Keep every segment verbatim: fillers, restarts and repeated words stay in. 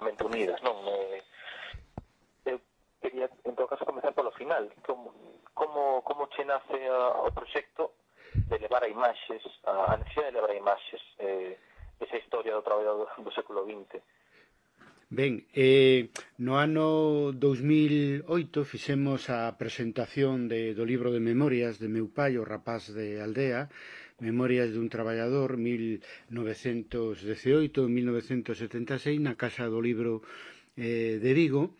mente unidas, non? Eh, eu quería, en todo caso, comenzar polo final. Como, como, como che nace a, o proxecto de levar a imaxes, a, a necesidade de levar a imaxes, eh, esa historia do traballo do, do século vinte? Ben, eh, no ano dous mil oito fixemos a presentación de, do libro de memorias de meu pai, o rapaz de aldea, Memorias dun traballador mil novecentos dezaoito mil novecentos setenta e seis na Casa do Libro eh, de Vigo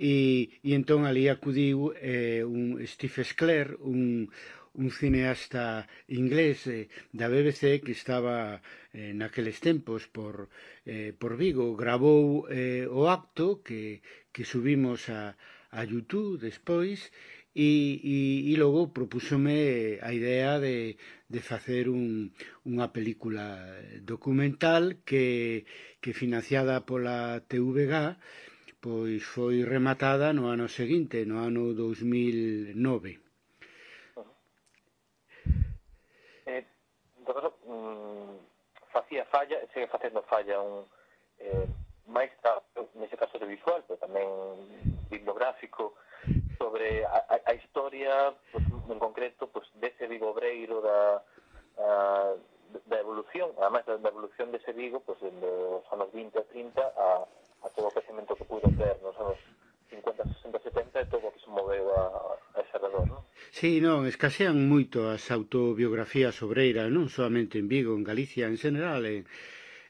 e, e entón ali acudiu eh, un Steve Sclair, un, un cineasta inglés eh, da B B C que estaba eh, naqueles tempos por, eh, por Vigo, gravou eh, o acto que, que subimos a, a YouTube despois e, e, e logo propúsome a idea de, de facer un, unha película documental que, que financiada pola T V G pois foi rematada no ano seguinte, no ano dous mil nove. Uh-huh. Eh, en todo caso, mm, facía falla, e segue facendo falla un eh, máis nese caso de visual, pero tamén bibliográfico, sobre a, a, a historia, pues, en concreto, pues, dese Vigo obreiro, da, a, da evolución, además da, da evolución dese Vigo, pues, dos anos vinte a trinta a, a todo o crecemento que pudo ter nos anos cincuenta, sesenta, setenta e todo o que se moveu a, a ese redor, non? Sí, non, escasean moito as autobiografías obreiras, non solamente en Vigo, en Galicia, en general, en,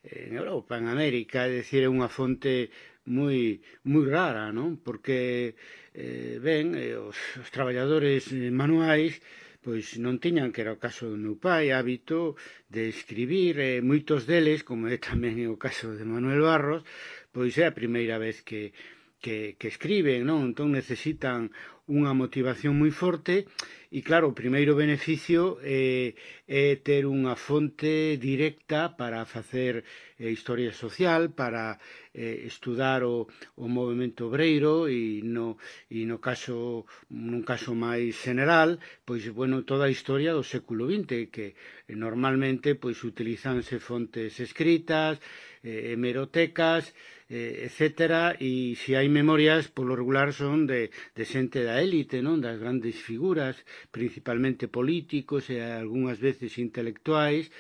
en Europa, en América, é dicir, é unha fonte moi moi rara, non? Porque eh, ben, eh, os, os traballadores eh, manuais pois non tiñan, que era o caso do meu pai, hábito de escribir, eh, moitos deles, como é tamén o caso de Manuel Barros, pois é a primeira vez que que, que escriben, non? Entón necesitan unha motivación moi forte e claro, o primeiro beneficio é, é ter unha fonte directa para facer eh, historia social, para eh, estudar o, o movimento obreiro e no, e no caso nun caso máis general, pois bueno, toda a historia do século vinte que eh, normalmente pois utilizanse fontes escritas, eh, hemerotecas, eh, etcétera, e se hai memorias, polo regular son de, de xente da élite, non? Das grandes figuras, principalmente políticos e algunhas veces intelectuais,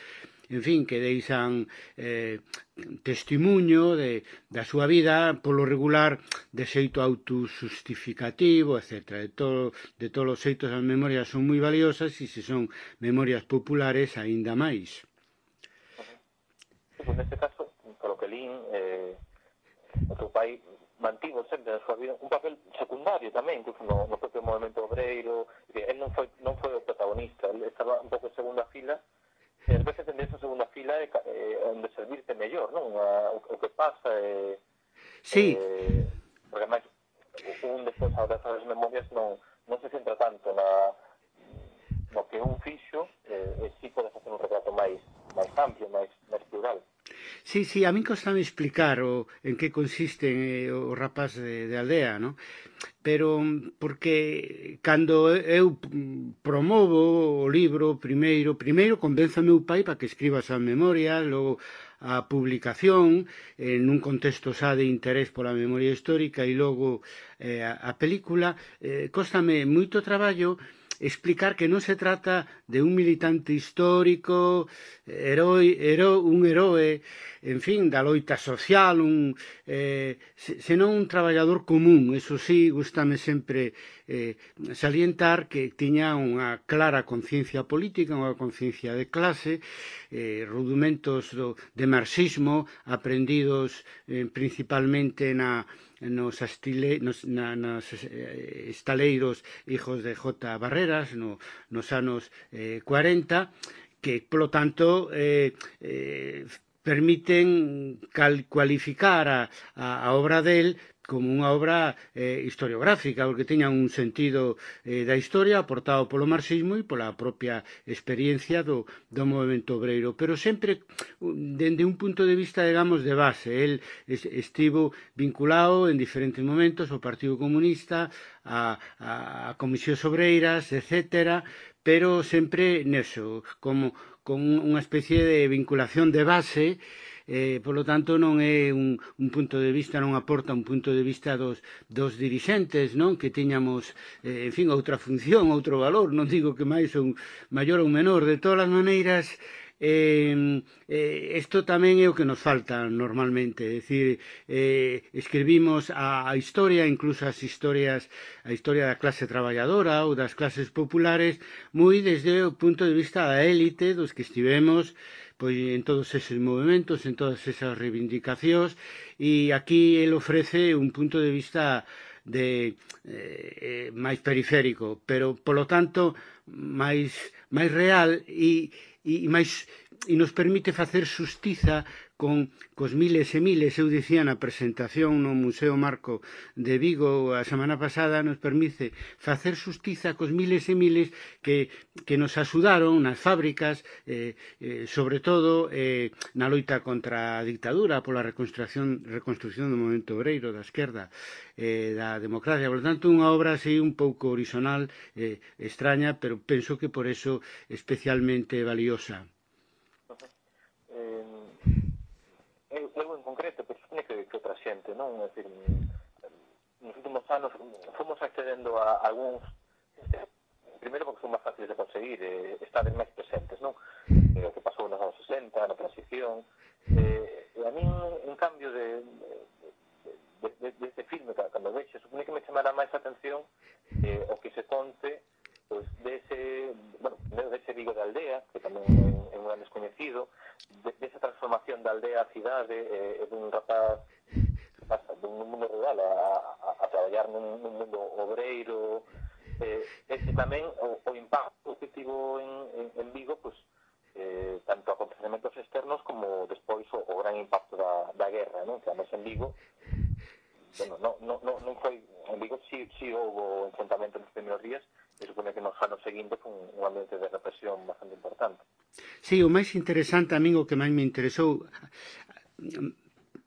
en fin, que deixan eh, testimonio de, da súa vida, polo regular, de xeito autojustificativo, etcétera. De, todo, de todos os xeitos as memorias son moi valiosas e se son memorias populares, aínda máis. Uh-huh. Sí, pues neste caso, polo que lín, eh, o teu pai mantivo sempre na súa vida un papel secundario tamén, incluso no, no propio movimento obreiro. Él non foi, non foi o protagonista, él estaba un pouco en segunda fila, e ás veces en esa segunda fila é eh, onde servirte mellor, non? A, o, o que pasa é... Sí. Eh, porque máis un despois ao das memorias non, non se centra tanto na no que un fixo, eh, e si pode facer un retrato máis máis amplio, máis, máis plural. Sí, sí, a min costame explicar o, en que consiste eh, o rapaz de, de aldea, ¿no? Pero porque cando eu promovo o libro primeiro, primeiro convenzo a meu pai para que escriba as memorias, logo a publicación en un contexto xa de interés pola memoria histórica e logo eh, a, a película, eh, costame moito traballo explicar que non se trata de un militante histórico, heroi, hero, un heroe, en fin, da loita social, un, eh, senón un traballador común. Eso sí, gustame sempre eh, salientar que tiña unha clara conciencia política, unha conciencia de clase, eh, rudimentos do, de marxismo aprendidos eh, principalmente na nos, astile, nos na, nas eh, estaleiros hijos de J. Barreras no, nos anos eh, cuarenta, que, polo tanto, eh, eh, permiten cal, cualificar a, a, a obra del como unha obra eh, historiográfica, porque teña un sentido eh, da historia aportado polo marxismo e pola propia experiencia do, do movimento obreiro, pero sempre dende un punto de vista, digamos, de base. El estivo vinculado en diferentes momentos ao Partido Comunista, a, a, a Comisións Obreiras, etcétera, pero sempre neso, como con unha especie de vinculación de base eh, polo tanto non é un, un punto de vista, non aporta un punto de vista dos, dos dirixentes, non? Que tiñamos, eh, en fin, outra función, outro valor, non digo que máis ou maior ou menor, de todas as maneiras. Eh, eh, isto tamén é o que nos falta normalmente, é dicir, eh, escribimos a, a historia, incluso as historias, a historia da clase traballadora ou das clases populares, moi desde o punto de vista da élite, dos que estivemos pois en todos eses movimentos, en todas esas reivindicacións, e aquí el ofrece un punto de vista de eh, máis periférico, pero polo tanto máis máis real e e máis e nos permite facer xustiza con cos miles e miles, eu dicía na presentación no Museo Marco de Vigo a semana pasada, nos permite facer xustiza cos miles e miles que, que nos axudaron nas fábricas, eh, eh, sobre todo eh, na loita contra a dictadura, pola reconstrucción, reconstrucción do movimento obreiro da esquerda, eh, da democracia. Por tanto, unha obra así un pouco horizontal, eh, extraña, pero penso que por eso especialmente valiosa. Eu, eu en concreto, pois, pues, que, que outra xente, non? É dicir, nos últimos anos fomos accedendo a algúns, primeiro porque son máis fáciles de conseguir, eh, estades máis presentes, non? Eh, o que pasou nos anos sesenta, na transición, eh, e a min, en cambio de, de, de, de este filme, cando vexe, supone que me chamará máis a atención eh, o que se conte pois, dese, bueno, dese Vigo de aldea, que tamén é un gran descoñecido, de, desa transformación da aldea a cidade, eh, dun rapaz que pasa dun mundo rural a, a, a traballar nun, nun mundo obreiro, eh, e tamén o, o impacto que tivo en, en, en Vigo, pois, eh, tanto acontecementos externos como despois o, o gran impacto da, da guerra, non? Que además en Vigo, bueno, non no, no, no foi, en Vigo si, si houve enfrentamento nos primeiros días, e supone que nos anos seguintes foi un ambiente de represión bastante importante. Sí, o máis interesante a min o que máis me interesou,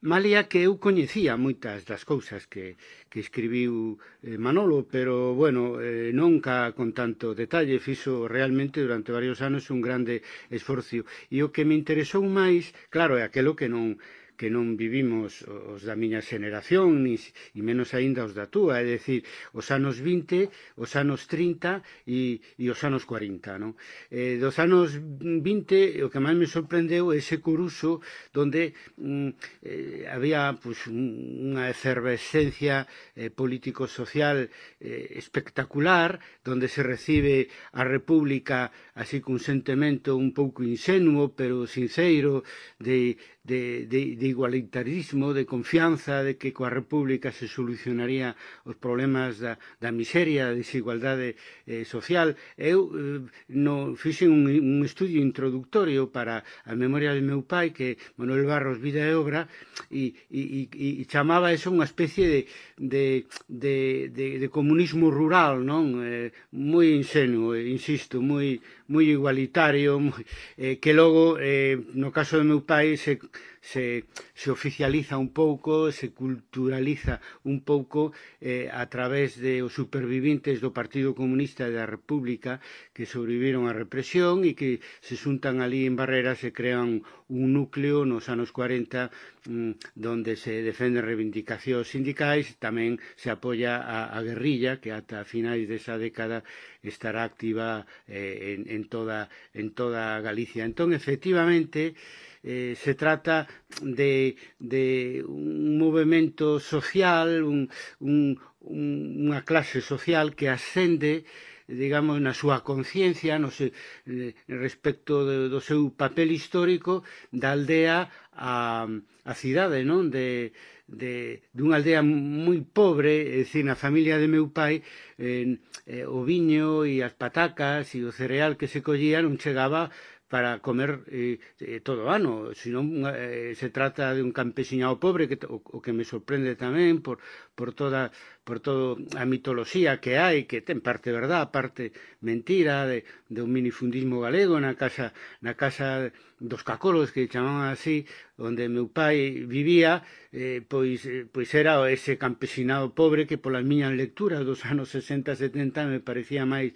malia que eu coñecía moitas das cousas que, que escribiu eh, Manolo, pero, bueno, eh, nunca con tanto detalle, fixo realmente durante varios anos un grande esforzo. E o que me interesou máis, claro, é aquelo que non que non vivimos os da miña xeneración, ni, e menos aínda os da túa, é dicir, os anos vinte, os anos trinta e, e os anos cuarenta, non? Eh, dos anos vinte, o que máis me sorprendeu é ese Coruso, donde mm, eh, había pues, unha efervescencia eh, político-social eh, espectacular, donde se recibe a República así cun sentimento un pouco insenuo, pero sinceiro, de De, de, de igualitarismo, de confianza, de que coa República se solucionaría os problemas da, da miseria, da desigualdade eh, social. Eu eh, no, fixen un, un estudio introductorio para a memoria do meu pai, que Manuel Barros, Vida e Obra, e, e, e, e chamaba eso unha especie de, de, de, de, de comunismo rural, non? Eh, moi insenuo, insisto, moi, moi igualitario, moi, eh, que logo, eh, no caso do meu pai, se Se, se oficializa un pouco, se culturaliza un pouco eh, a través de os supervivintes do Partido Comunista e da República que sobreviviron á represión e que se xuntan ali en Barreras e crean un núcleo nos anos cuarenta mm, donde se defenden reivindicacións sindicais, tamén se apoia a, a guerrilla que ata finais desa década estará activa eh, en, en, toda, en toda Galicia. Entón, efectivamente, Eh, se trata de, de un movimento social, un, un, unha clase social que ascende, digamos, na súa conciencia no se, eh, respecto de, do seu papel histórico da aldea a, a cidade, non? De, de, dunha aldea moi pobre, é dicir, na familia de meu pai, eh, eh, o viño e as patacas e o cereal que se collía non chegaba para comer eh, eh, todo o ano, senón eh, se trata de un campesiñado pobre, que o, o que me sorprende tamén por, por toda por todo a mitoloxía que hai, que ten parte verdad, parte mentira, de, de un minifundismo galego na casa, na casa dos cacolos, que chamaban así, onde meu pai vivía, eh, pois, eh, pois era ese campesinado pobre que polas miñas lecturas dos anos sesenta setenta me parecía máis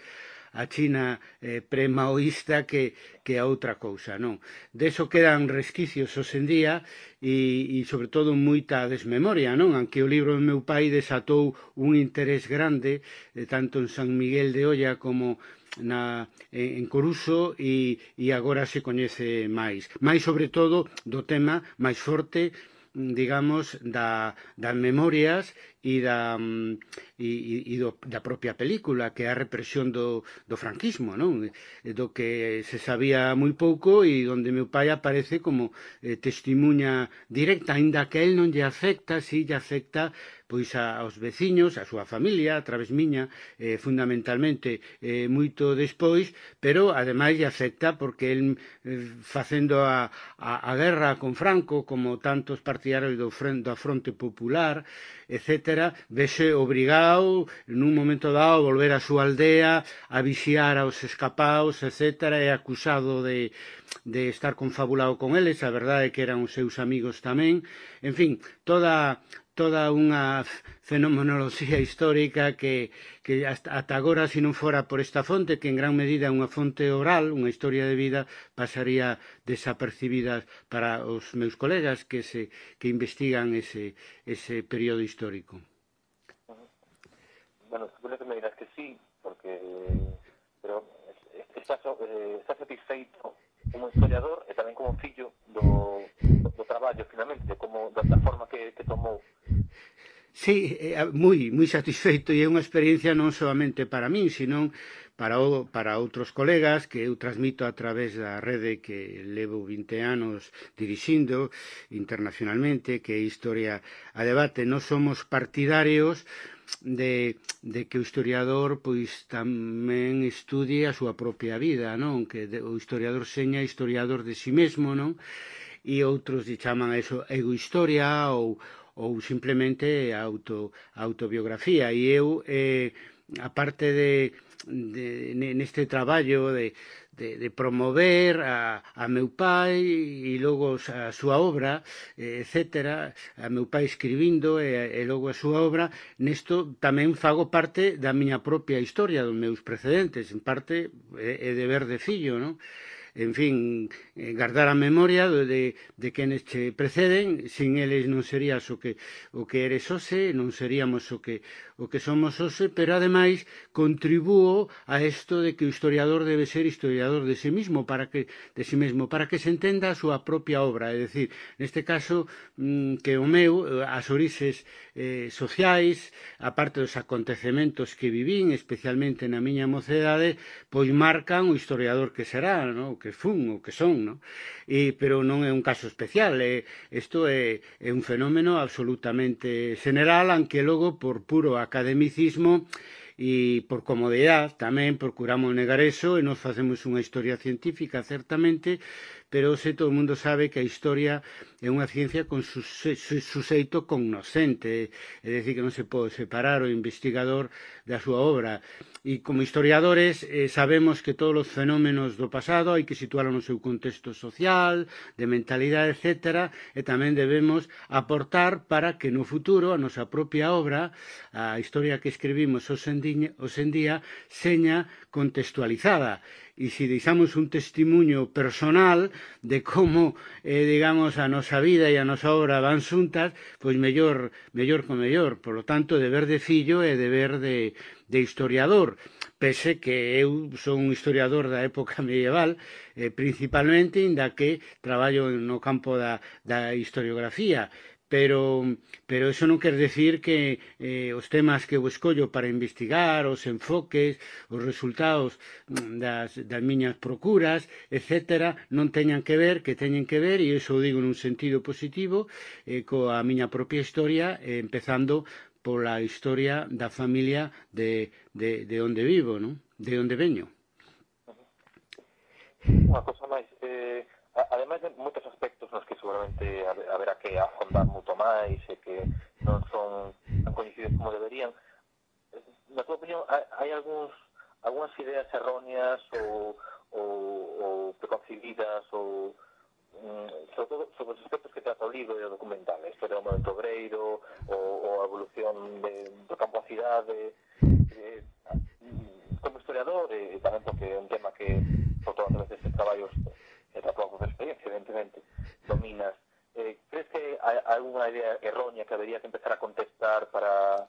a China eh, pre-maoísta que, que a outra cousa, non? Deso quedan resquicios hoxe en día e, e sobre todo moita desmemoria, non? Aunque o libro do meu pai desatou un interés grande eh, tanto en San Miguel de Olla como na, en Coruso e, e agora se coñece máis. Mais sobre todo do tema máis forte, digamos, da, das memorias e da, e, e do, da propia película, que é a represión do, do franquismo, non? Do que se sabía moi pouco e onde meu pai aparece como eh, testimuña directa, aínda que a él non lle afecta, si lle afecta pois a, aos veciños, a súa familia, a través miña, eh, fundamentalmente eh, moito despois, pero ademais lle afecta porque el eh, facendo a, a, a guerra con Franco, como tantos partidarios do, frente, da Fronte Popular, etcétera, vese obrigado nun momento dado a volver á súa aldea, a vixiar aos escapaos, etcétera, e acusado de, de estar confabulado con eles, a verdade é que eran os seus amigos tamén, en fin, toda toda unha fenomenoloxía histórica que, que hasta, ata agora, se non fora por esta fonte, que en gran medida é unha fonte oral, unha historia de vida, pasaría desapercibida para os meus colegas que, se, que investigan ese, ese período histórico. Bueno, seguro que me dirás que sí, porque pero está, eh, está satisfeito como historiador e tamén como fillo do, do traballo, finalmente, como da, da forma que, que tomou. Sí, moi, moi satisfeito, e é unha experiencia non solamente para min, sino para, o, para outros colegas que eu transmito a través da rede que levo vinte anos dirixindo internacionalmente, que é Historia a Debate. Nós somos partidarios de, de que o historiador pois tamén estudie a súa propia vida, non? Que o historiador seña historiador de si mesmo, non? E outros lle chaman a eso egohistoria ou ou simplemente auto, autobiografía. E eu, eh, aparte de, de neste traballo de, de, de promover a, a meu pai e logo a súa obra, eh, etcétera, a meu pai escribindo e, e logo a súa obra, nesto tamén fago parte da miña propia historia, dos meus precedentes, en parte é, é deber de fillo, non? En fin, guardar a memoria de, de quenes che preceden, sin eles non serías o que, o que eres hoxe, non seríamos o que, o que somos hoxe, pero ademais contribúo a isto de que o historiador debe ser historiador de sí mismo, para que, de sí mesmo, para que se entenda a súa propia obra, é dicir, neste caso, que o meu, as orixes eh, sociais, aparte dos acontecementos que vivín, especialmente na miña mocedade, pois marcan o historiador que será, non? Que fun ou que son, non? E, pero non é un caso especial, é, isto é, é un fenómeno absolutamente general, aunque logo por puro academicismo e por comodidade tamén procuramos negar eso e nos facemos unha historia científica, certamente, pero se todo o mundo sabe que a historia é unha ciencia con suxeito cognoscente, é dicir, que non se pode separar o investigador da súa obra. E como historiadores eh, sabemos que todos os fenómenos do pasado hai que situarlo no seu contexto social, de mentalidade, etcétera, e tamén debemos aportar para que no futuro a nosa propia obra, a historia que escribimos hoxe en día, seña contextualizada. E se deixamos un testimonio personal de como, eh, digamos, a nosa vida e a nosa obra van xuntas, pois mellor, mellor con mellor. Por lo tanto, deber de fillo e deber de, de historiador. Pese que eu son un historiador da época medieval, eh, principalmente, inda que traballo no campo da, da historiografía. Pero, pero eso non quer decir que eh, os temas que eu escollo para investigar, os enfoques, os resultados das, das miñas procuras, etcétera, non teñan que ver, que teñen que ver, e iso o digo nun sentido positivo, eh, coa miña propia historia, eh, empezando pola historia da familia de, de, de onde vivo, non? De onde veño. Unha cosa máis, eh, ademais de moitos aspectos nos que seguramente haberá que afondar moito máis e que non son tan coñecidos como deberían, na tua opinión, hai algúns algunhas ideas erróneas ou, ou, ou preconcebidas ou sobre todo sobre os aspectos que trata o libro e o documental, a historia do movimento obreiro ou, ou a evolución de, do campo a cidade, eh, como historiador historiador e tamén porque é un tema que, sobre todo a través destes traballos e da tua experiencia, evidentemente, dominas. Eh, crees que hai alguna idea errónea que habería que empezar a contestar para...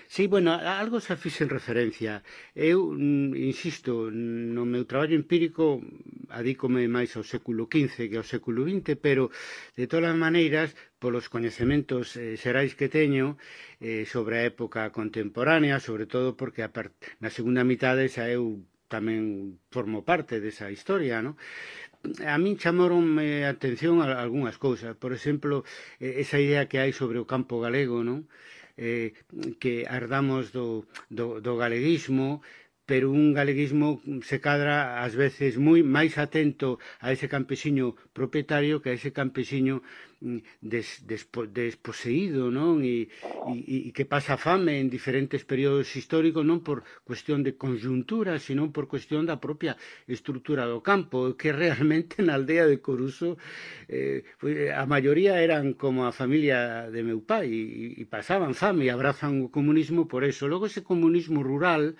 Sí, bueno, a algo xa fixen referencia. Eu, mm, insisto, no meu traballo empírico adícome máis ao século quince que ao século vinte, pero, de todas as maneiras, polos coñecementos eh, xerais que teño eh, sobre a época contemporánea, sobre todo porque a part... na segunda mitade xa eu tamén formo parte desa historia, non? A min chamaronme a atención a algunhas cousas. Por exemplo, esa idea que hai sobre o campo galego, non? Eh, que herdamos do, do, do galeguismo, pero un galeguismo se cadra ás veces moi máis atento a ese campesiño propietario que a ese campesiño des, despo, desposeído, non? E, e, e que pasa fame en diferentes períodos históricos non por cuestión de conjuntura, sino por cuestión da propia estrutura do campo, que realmente na aldea de Coruso eh, a maioría eran como a familia de meu pai e, e pasaban fame e abrazan o comunismo por eso. Logo ese comunismo rural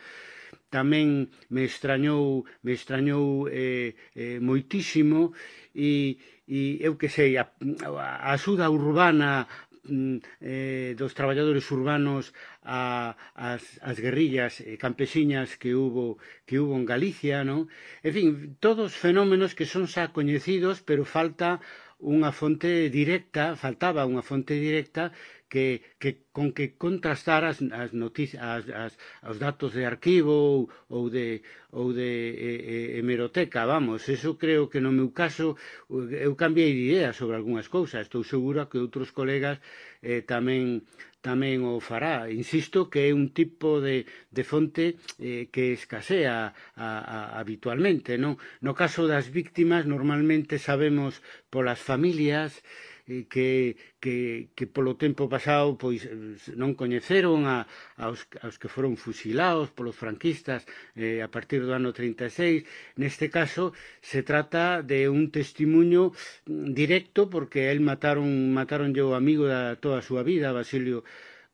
tamén me extrañou, me extrañou eh, eh, moitísimo e, e eu que sei, a, a axuda urbana eh, dos traballadores urbanos a, as, as guerrillas eh, campesiñas que hubo, que hubo en Galicia, non? En fin, todos fenómenos que son xa coñecidos, pero falta unha fonte directa, faltaba unha fonte directa que, que con que contrastar as, as noticias, as, as, os datos de arquivo ou, ou de, ou de eh, hemeroteca, vamos, eso creo que no meu caso eu cambiei de idea sobre algunhas cousas, estou segura que outros colegas eh, tamén tamén o fará. Insisto que é un tipo de, de fonte eh, que escasea a, a, habitualmente, non? No caso das víctimas, normalmente sabemos polas familias eh, que, que, que polo tempo pasado pois non coñeceron a, aos, aos que foron fusilados polos franquistas eh, a partir do ano trinta e seis. Neste caso se trata de un testimonio directo porque el mataron mataron o amigo da toda a súa vida, Basilio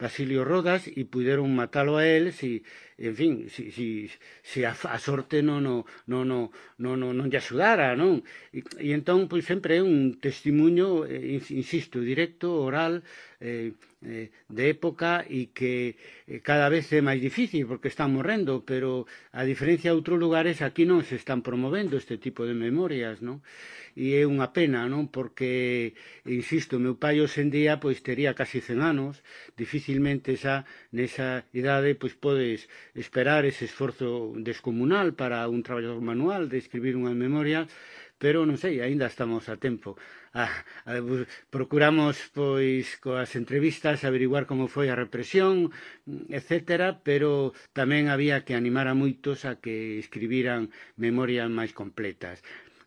Basilio Rodas, e puderon matalo a él si, en fin, si, si, si a, a sorte non no, no, no, no, no, non lle axudara, non? E, e entón, pois, sempre é un testimonio, eh, insisto, directo, oral, eh, eh, de época e que eh, cada vez é máis difícil porque están morrendo, pero a diferencia de outros lugares aquí non se están promovendo este tipo de memorias, non? E é unha pena, non? Porque, insisto, meu pai hoxe en día pois tería casi cen anos, dificilmente xa nesa idade pois podes esperar ese esforzo descomunal para un traballador manual de escribir unha memoria, pero non sei, aínda estamos a tempo. Ah, a, procuramos pois coas entrevistas averiguar como foi a represión, etcétera, pero tamén había que animar a moitos a que escribiran memorias máis completas.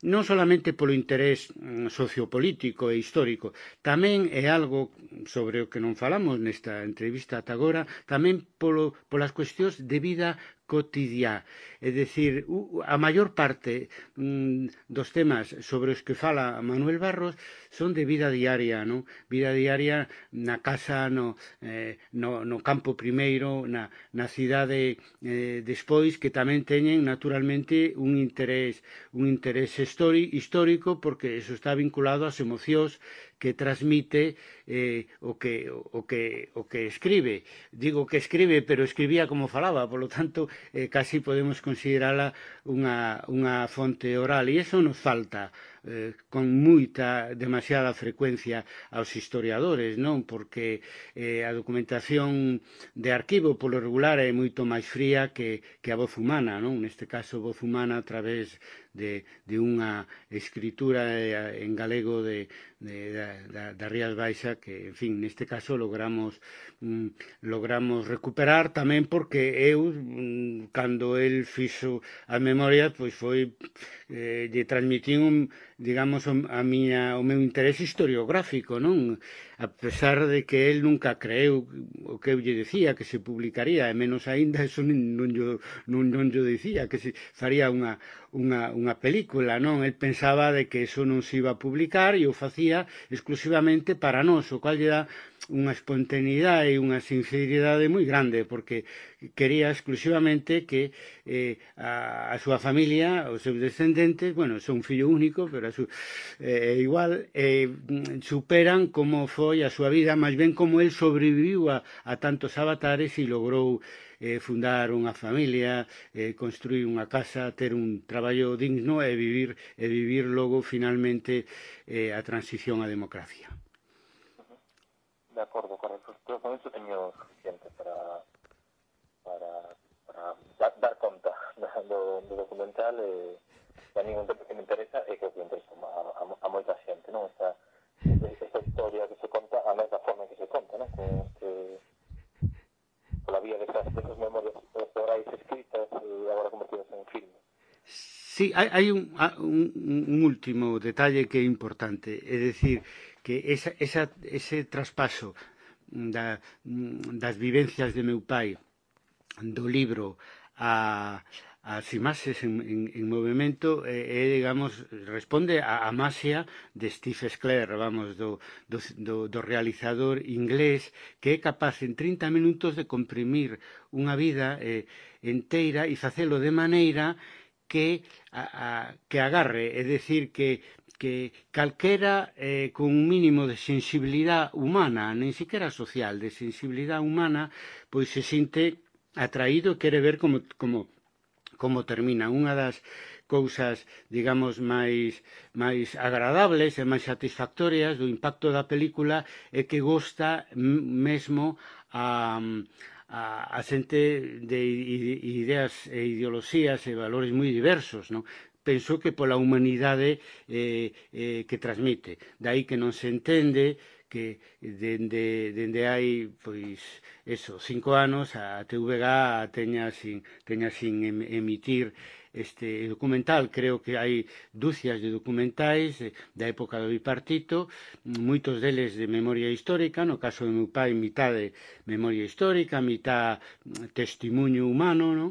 Non solamente polo interés sociopolítico e histórico, tamén é algo sobre o que non falamos nesta entrevista ata agora, tamén polo, polas cuestións de vida cotidiá. É dicir, a maior parte mm, dos temas sobre os que fala Manuel Barros son de vida diaria, non? Vida diaria na casa, no, eh, no, no campo primeiro, na, na cidade eh, despois, que tamén teñen naturalmente un interés, un interés histori, histórico, porque eso está vinculado ás emocións que transmite eh, o, que, o, que, o que escribe. Digo que escribe, pero escribía como falaba, polo tanto, eh, casi podemos considerala unha, unha fonte oral, e iso nos falta eh, con moita, demasiada frecuencia aos historiadores, non? Porque eh, a documentación de arquivo polo regular é moito máis fría que, que a voz humana, non? Neste caso, voz humana a través de, de unha escritura en galego de, de, da, da Rías Baixa que, en fin, neste caso logramos mm, logramos recuperar tamén porque eu, mm, cando el fixo a memoria, pois foi eh, lle transmitín un, digamos, a miña, o meu interés historiográfico, non? A pesar de que el nunca creeu o que eu lle decía que se publicaría, e menos aínda eso non, non, yo, non, non yo decía que se faría unha, unha, unha película, non? El pensaba de que eso non se iba a publicar e o facía exclusivamente para nós, digamos, o cual lle dá unha espontaneidade e unha sinceridade moi grande, porque quería exclusivamente que eh, a, a súa familia, os seus descendentes, bueno, son un fillo único, pero a su, eh, igual, eh, superan como foi a súa vida, máis ben como el sobreviviu a, a tantos avatares e logrou eh, fundar unha familia, eh, construir unha casa, ter un traballo digno e vivir, e vivir logo finalmente eh, a transición á democracia. De acordo, correcto. Pero con eso teño suficiente para para, para dar, dar conta do, do documental e a mí un tema que me interesa e que, que interesa a, a, a moita xente, non? Esta, esta historia que se conta, a mesma forma que se conta, non? Con este, pola vía de esas, esas memorias orais escritas e agora convertidas en filme. Sí, hai, hai un, un, un último detalle que é importante, é dicir, que esa, esa, ese traspaso da, das vivencias de meu pai do libro a as imaxes en, en, en movimento é, eh, digamos, responde a, a maxia de Steve Sclair, vamos, do, do, do, do realizador inglés que é capaz en trinta minutos de comprimir unha vida eh, enteira e facelo de maneira que, a, a, que agarre, é dicir, que que calquera eh, con un mínimo de sensibilidade humana, nen siquiera social, de sensibilidade humana, pois se sinte atraído e quere ver como, como, como termina. Unha das cousas, digamos, máis, máis agradables e máis satisfactorias do impacto da película é que gosta mesmo a, a, a xente de ideas e ideoloxías e valores moi diversos, non? Penso que pola humanidade eh, eh, que transmite. Dai que non se entende que dende, dende hai, pois, eso, cinco anos a T V G teña sin, teña sin emitir este documental. Creo que hai dúcias de documentais da época do bipartito, moitos deles de memoria histórica, no caso do meu pai, mitad de memoria histórica, mitad testimonio humano, non?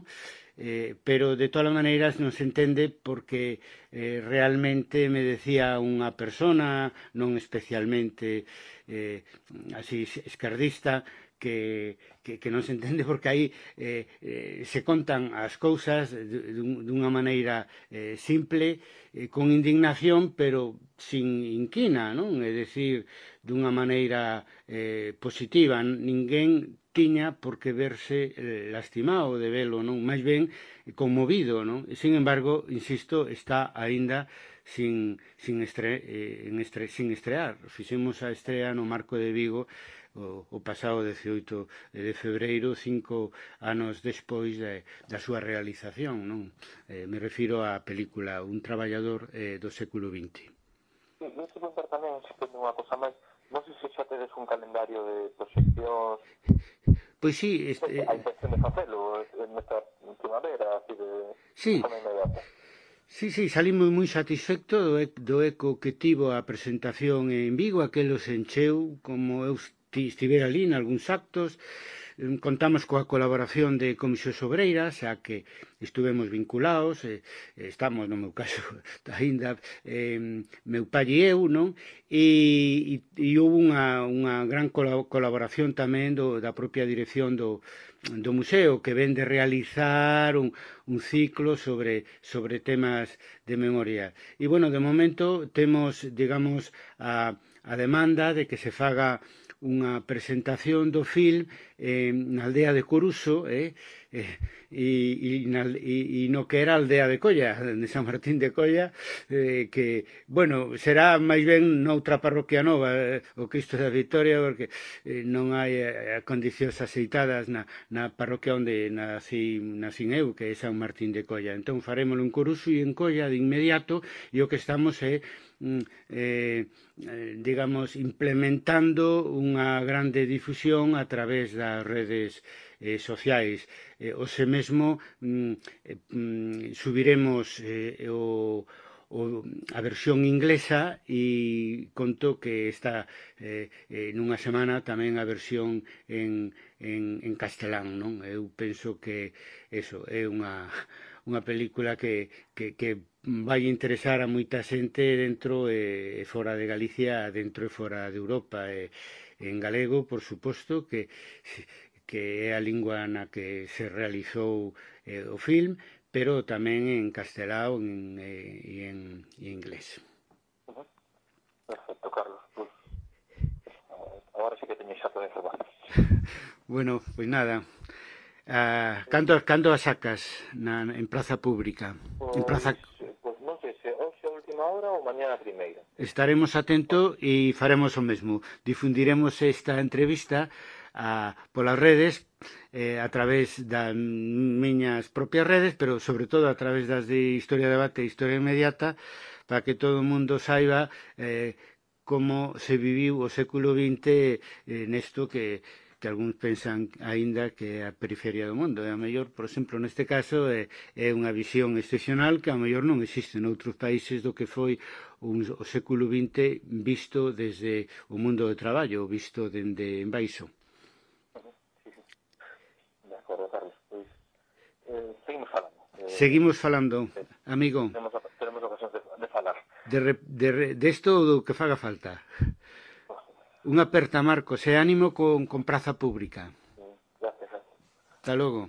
Eh, pero de todas as maneiras non se entende porque eh, realmente me decía unha persona non especialmente eh, así esquerdista que, que, que non se entende porque aí eh, eh, se contan as cousas dunha maneira eh, simple, eh, con indignación, pero sin inquina, non? É dicir, dunha maneira eh, positiva. Ninguén tiña por que verse eh, lastimado de velo, non? Máis ben conmovido, non? E, sin embargo, insisto, está aínda sin, sin, estre, eh, en estre, sin estrear. Fixemos a estrea no Marco de Vigo o, o pasado dezioito de febreiro, cinco anos despois de, da súa realización, non? Eh, me refiro á película Un traballador eh, do século vinte. Sí, non se contar tamén, se ten unha cosa máis, non sei se xa tedes un calendario de proxeccións. Pois sí, este, eh, a intención de facelo nesta primavera, así de, sí. de forma inmediata. Sí, sí, salimos moi satisfectos do, do eco que tivo a presentación en Vigo, aquelo se encheu, como eu estivera ali en algúns actos. Contamos coa colaboración de Comisións Obreiras, a que estuvemos vinculados, eh, estamos, no meu caso, ainda eh, meu pai e eu, non? E, e, e houve unha, unha gran colaboración tamén do, da propia dirección do, do museo, que ven de realizar un, un ciclo sobre, sobre temas de memoria. E, bueno, de momento temos, digamos, a, a demanda de que se faga unha presentación do film eh, na aldea de Coruso, eh, eh, e, e, na, e, e no que era a aldea de Colla, de San Martín de Colla, eh, que, bueno, será máis ben noutra parroquia nova, eh, o Cristo da Victoria, porque eh, non hai eh, condicións aceitadas na, na parroquia onde nací, nacín eu, que é San Martín de Colla. Entón farémoslo en Coruso e en Colla de inmediato, e o que estamos é Eh, eh, digamos, implementando unha grande difusión a través das redes eh, sociais. Eh, hoxe mesmo mm, eh, subiremos eh, o o, a versión inglesa e conto que está eh, eh, nunha semana tamén a versión en, en, en castelán, non? Eu penso que eso é unha, unha película que, que, que vai interesar a moita xente dentro e fora de Galicia, dentro e fora de Europa, e en galego, por suposto, que que é a lingua na que se realizou eh, o film, pero tamén en castelao en, eh, e en, en inglés. Uh-huh. Perfecto, Carlos. Pues, agora sí que teño xa toda a información. Bueno, pois pues nada. Ah, cando, cando a sacas na, en praza pública? Pues, en praza... pues non sei se hoxe a última hora ou mañana a primeira. Estaremos atentos e faremos o mesmo. Difundiremos esta entrevista a, polas redes, eh, a través das miñas propias redes, pero sobre todo a través das de Historia Debate e Historia Inmediata, para que todo o mundo saiba eh, como se viviu o século vinte eh, nesto que que algúns pensan aínda que é a periferia do mundo. E a mellor, por exemplo, neste caso, é, é unha visión excepcional que a mellor non existe noutros países do que foi un, o século vinte visto desde o mundo do traballo, visto dende en baixo. De acordo, Carlos. Pois, eh, seguimos falando. Eh, seguimos falando, eh, amigo. Tenemos, tenemos ocasión de, de falar. De, de, de esto do que faga falta. Unha aperta, Marcos, e ánimo con, con praza pública. Gracias. Hasta logo.